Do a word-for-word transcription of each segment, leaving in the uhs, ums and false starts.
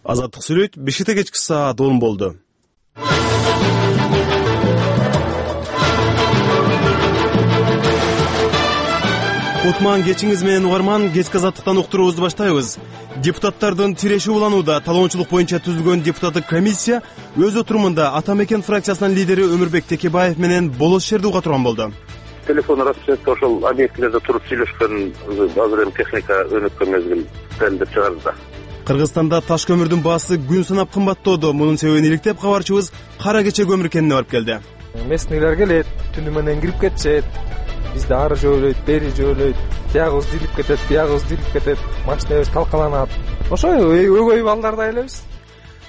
Азаттык сүйлөйт, бешикте кечки саат он болду. Утман кечиңиз менен угарман, кечки азаттыктан уктуруубузду баштайбыз. Депутаттардын тиреши уланууда. Талоончулук боюнча түзүлгөн депутаттык комиссия өз отурумунда Ата Мекен фракциясынын лидери Өмүрбек Текебаев менен болос жерде уга турган болду. Телефон расчетте ошол объектилерде туруп сүйлөшкөн азыр эми техника өнүккөн мезгил деп чыгарды да. Кыргызстанда таш көмүрдүн баасы күн санап кымбаттоодо. Мунун себебин иликтеп кабарчыбыз Кара Кече көмүр кенине барып келди. Местнийлер келет, түнү менен кирип кетишет. Бизде ары жөөлөйт, бери жөөлөйт, тиягыбыз дилип кетет, биягыбыз дилип кетет, машинабыз талкаланат. Ошой өгөй балдарда элебиз.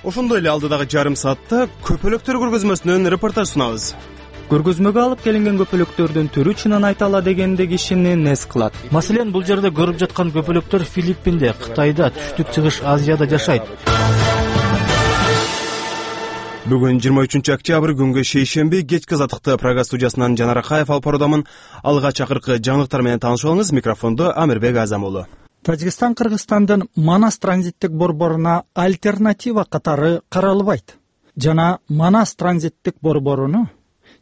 Ошондой эле алдыдагы жарым саатта көпөлөктөр көргөзмөсүнөн репортаж сунабыз. Көргөзмөгө алып келинген көпөлөктөрдүн түрү чынын айта ала дегенде кишини нес кылат. Маселен, бул жерде көрүп жаткан көпөлөктөр Филиппинде, Кытайда, Түштүк Чыгыш Азияда жашайт. Бүгүн жыйырма үчүнчү октябрь күнгө шейшемби кечки азаттыкты Прага студиясынан Жанар Акаев алып баруудамын. Алга чакыркы жаңылыктар менен таанышып алыңыз. Микрофондо Амирбек Азам уулу. Тажикстан Кыргызстандын Манас транзиттик борборуна альтернатива катары каралбайт. Жана Манас транзиттик борборуну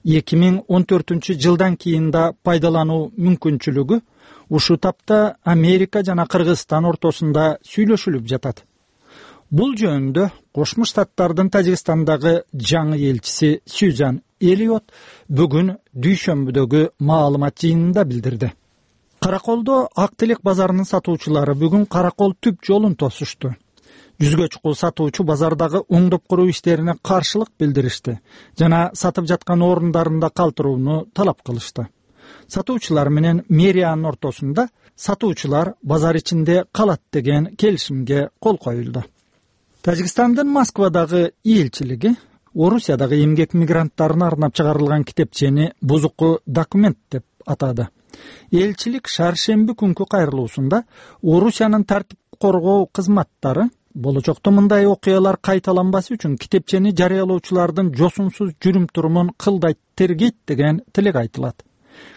эки миң он төртүнчү жылдан кийин да пайдалануу мүмкүнчүлүгү ушул тапта Америка жана Кыргызстан ортосунда сүйлөшүлүп жатат. Бул жөнүндө Кошмо Штаттардын Тажикстандагы жаңы элчиси Сюзан Элиот бүгүн дүйшөмбүдөгү маалымат жыйынында билдирди. Караколдо Ак Телек базарынын сатуучулары бүгүн Каракол түп жолун тосушту. Жүзгө чукул сатуучу базардагы оңдоп куруу иштерине каршылык билдиришти жана сатып жаткан орундарында калтырууну талап кылышты. Сатуучулар менен мэриянын ортосунда сатуучулар базар ичинде калат деген келишимге кол коюлду. Тажикстандын Москвадагы элчилиги Орусиядагы эмгек мигранттарына арнап чыгарылган китепчени бузуку документ деп атады. Элчилик шаршемби күнкү кайрылуусунда Орусиянын тартип коргоо кызматтары болочокто мындай окуялар кайталанбасы үчүн китепчени жарыялоочулардын жосунсуз жүрүм-турумун кылдайт тергейт деген тилек айтылат.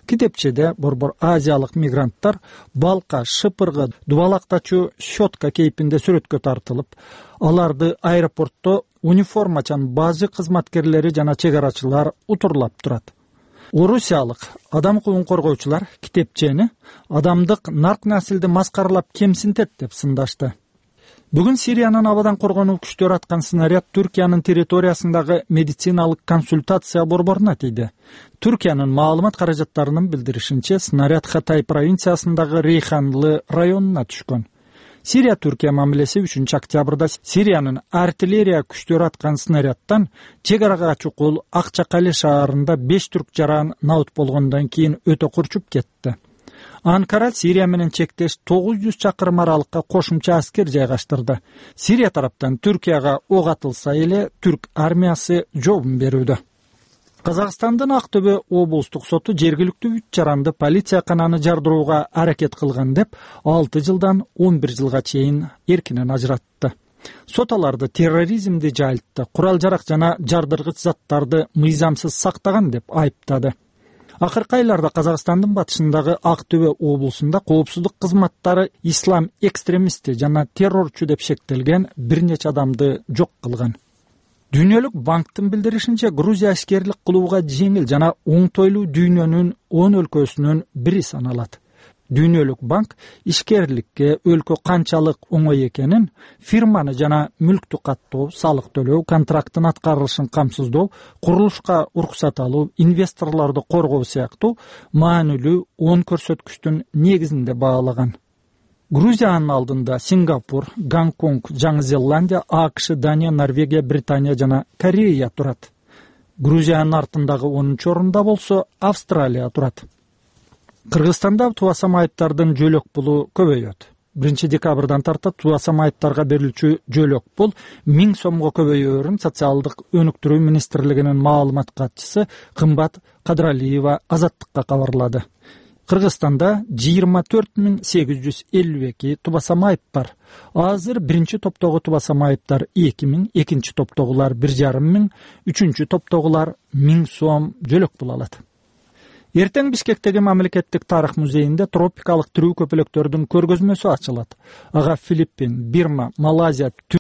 Китепчеде борбор азиялык мигранттар балка, шыпыргы, дубалактачу щетка кейпинде сүрөткө тартылып, аларды аэропортто униформачан базы кызматкерлери жана чек арачылар утурлап турат. Орусиялык адам укугун коргоочулар китепчени адамдык нарк насилди маскаралап кемсинтет деп сындашты. Бүгүн Сириянын абадан коргонуу күчтөрү аткан снаряд Түркиянын территориясындагы медициналык консультация борборуна тийди. Түркиянын маалымат каражаттарынын билдиришинче, снаряд Хатай провинциясындагы Рейханлы районуна түшкөн. Сирия Түркия мамилеси үчүнчү октябрда Сириянын артиллерия күчтөрү аткан снарядтан чек арага чукул Акчакали шаарында беш түрк жаран наут болгондон кийин өтө курчуп кетти. Анкара Сирия менен чектеш тогуз жүз чакырым аралыкка кошумча аскер жайгаштырды. Сирия тараптан Түркияга ок атылса эле түрк армиясы жообун берүүдө. Казакстандын Актөбө облустук соту жергиликтүү үч жаранды полиция кананы жардырууга аракет кылган деп алты жылдан он бир жылга чейин эркинен ажыратты. Сот аларды терроризмди жайылтты, курал-жарак жана жардыргыч заттарды мыйзамсыз сактаган деп айыптады. Акыркы айларда Казакстандын батышындагы Актөбө облусунда коопсуздук кызматтары ислам экстремисти жана террорчу деп шектелген бир нече адамды жок кылган. Дүйнөлүк банктын билдиришинче, Грузия ишкерлик кылууга жеңил жана оңтойлуу дүйнөнүн он өлкөсүнүн бири саналат. Дүйнөлүк банк ишкерликке өлкө канчалык оңой экенин, фирманы жана мүлктү каттоо, салык төлөө, контракттын аткарылышын камсыздоо, курулушка уруксат алуу, инвесторлорду коргоо сыяктуу маанилүү он көрсөткүчтүн негизинде баалаган. Грузиянын алдында Сингапур, Гонконг, Жаңы Зеландия, АКШ, Дания, Норвегия, Британия жана Корея турат. Грузиянын артындагы онунчу орунда болсо Австралия турат. Кыргызстанда тубасам айыптардын жөлөк пулу көбөйөт. биринчи декабрдан тарта тубасам айыптарга берилчү жөлөк пул миң сомго көбөйөөрүн Социалдык өнүктүрүү министрлигинин маалымат катчысы Кымбат Кадралиева Азаттыкка кабарлады. Кыргызстанда жыйырма төрт миң сегиз жүз элүү эки тубасам айып бар. Азыр биринчи топтогу тубасам айыптар эки миң, экинчи топтогулар бир жарым миң, үчүнчү топтогулар миң сом жөлөк пул алат. Эртең Бишкектеги мамлекеттик тарых музейинде тропикалык тирүү көпөлөктөрдүн көргөзмөсү ачылат. Ага Филиппин, Бирма, Малайзия,